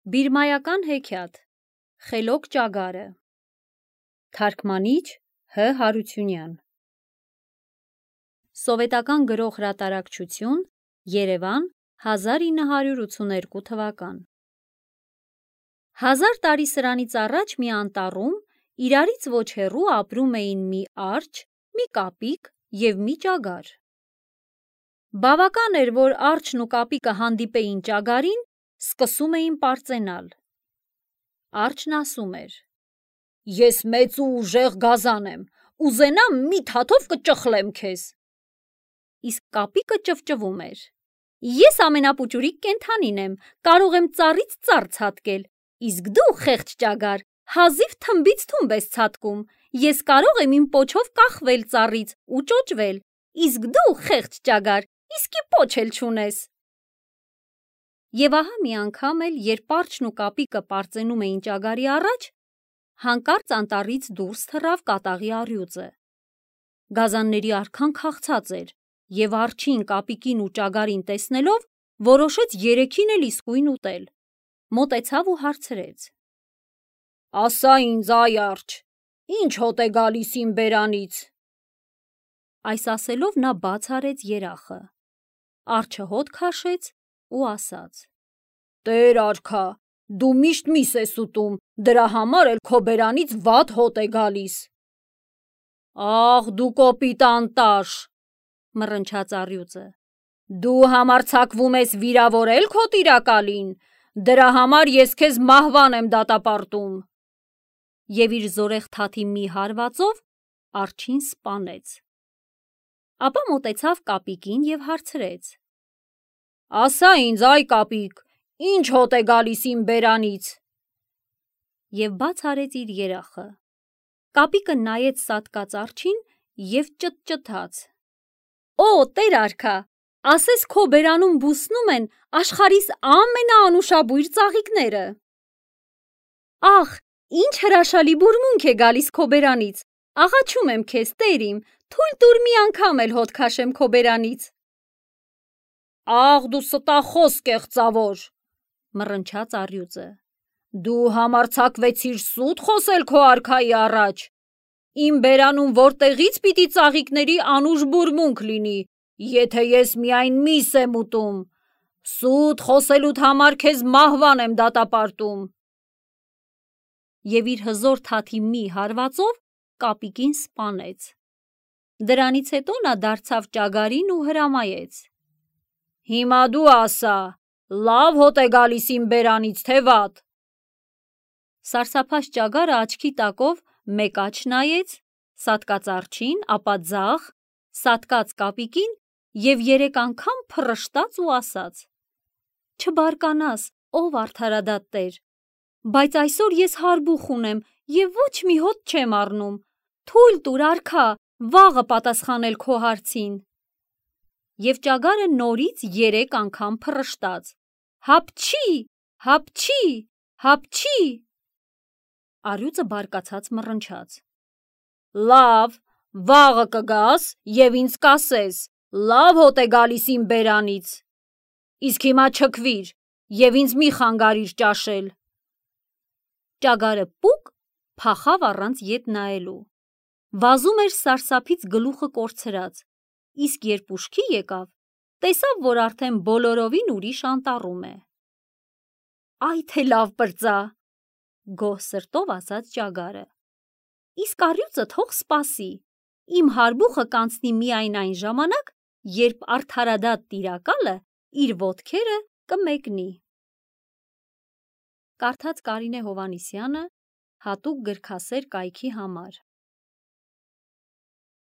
Բիրմայական հեքիաթ Խելոք ճագարը Թարգմանիչ Հ. Հարությունյան Սովետական գրող հրատարակչություն Երևան 1982 թվական 1000 տարի սրանից առաջ մի անտառում իրարից ոչ հեռու ապրում էին մի արջը, մի կապիկ և մի ճագար։ Բավական էր, որ արջն ու կապիկը հանդիպեին ճագարին, սկսում էին պարծենալ։ Արջն ասում էր. «Ես մեծ ու ուժեղ գազան եմ, ուզենամ մի թաթով կճխլեմ քեզ»։ Իսկ կապիկը ճվճվում էր. «Ես ամենապուճուրիկ կենդանին եմ, կարող եմ ծառից ծառ ցատկել, իսկ դու, խեղճ ճագար, հազիվ թմբից թումբ ես ցատկում, ես կարող եմ իմ պոչով կախվել ծառից ու ճոճվել, իսկ դու, խեղճ ճագար, իսկի պոչ էլ չունես»։ Եվ ահա մի անգամ էլ, երբ արջն ու կապիկը պարծենում էին ճագարի առաջ, հանկարծ անտառից դուրս թռավ կատաղի առյուծը։ Գազանների արքան քաղցած էր, և արջին, կապիկին ու ճագարին տեսնելով, որոշեց երեքին էլ իսկույն ուտել։ Մոտեցավ ու հարցրեց. «Ասա ինձ, այ արջը, ի՞նչ հոտ է գալիս իմ բերանից»։ Այս ասելով նա բաց արեց երախը։ Արջը հոտ քաշեց ու ասաց. «Տեր արքա, դու միշտ միս ես ուտում, դրա համար էլ քո բերանից վատ հոտ է գալիս»։ «Ախ, դու կոպիտ անտաշ», մռնչաց առյուծը, «դու համարձակվում ես վիրավորել քո տիրակալին, դրա համար ես քեզ մահվան եմ դատապարտում»։ Եվ իր զորեղ թաթի մի հարվածով արջին սպանեց։ Ապա մոտեցավ կապիկին և հարցրեց. «Ասա ինձ, այ կապիկ, ի՞նչ հոտ է գալիս իմ բերանից»։ Եվ բաց արեց իր երախը։ Կապիկը նայեց սատկած արջին և ճտճտաց. «Օ, տեր արքա, ասես քո բերանում բուսնում են աշխարհիս ամենաանուշաբույր ծաղիկները»։ «Ախ, ինչ հրաշալի բուրմունք է գալիս քո բերանից, աղաչում եմ քեզ, տեր իմ, թույլ տուր մի անգամ էլ հոտ քաշեմ քո բերանից»։ «Ախ, դու ստախոս կեղծավոր», մռնչաց առյուծը, «դու համարձակվեցիր սուտ խոսել քո արքայի առաջ։ Իմ բերանում որտեղից պիտի ծաղիկների անուշ բուրմունք լինի, եթե ես միայն միս եմ ուտում։ Սուտ խոսելուդ համար քեզ մահվան եմ դատապարտում»։ Եվ իր հզոր թաթի մի հարվածով կապիկին սպանեց։ Դրանից հետո նա դարձավ ճագարին ու հրամայեց. «Հիմա դու ասա, լավ հոտ է գալիս իմ բերանից, թե վատ»։ Սարսափած ճագարը աչքի տակով մեկ աջ նայեց, սատկած արջին, ապա ձախ, սատկած կապիկին և 3 անգամ փռշտաց ու ասաց. «Չբարկանաս, ով արդարադատ տեր, բայց այսօր ես հարբուխ ունեմ և ոչ մի հոտ չեմ առնում, թույլ տուր արքա, վաղը պատասխանել քո հարցին»։ Եվ ճագարը նորից 3 անգամ փռշտաց. «Հապչի, հապչի, հապչի»։ Առյուծը բարկացած մռնչաց. «Լավ, վաղը կգաս և ինձ կասես, լավ հոտ է գալիս իմ բերանից։ Իսկ հիմա չքվիր և ինձ մի խանգարիր ճաշել»։ Ճագարը պուկ փախավ առանց ետ նայելու։ Վազում էր սարսափից գլուխը կորցրած, իսկ երբ ուշքի եկավ, տեսավ, որ արդեն բոլորովին ուրիշ անտառում է։ «Այ թե լավ պրծա», գոհ սրտով ասաց ճագարը, «իսկ առյուծը թող սպասի, իմ հարբուխը կանցնի միայն այն ժամանակ, երբ արդարադատ տիրակալը իր ոտքերը կմեկնի»։ Կարդաց Կարինե Հովհաննիսյանը հատուկ գրքասեր կայքի համար։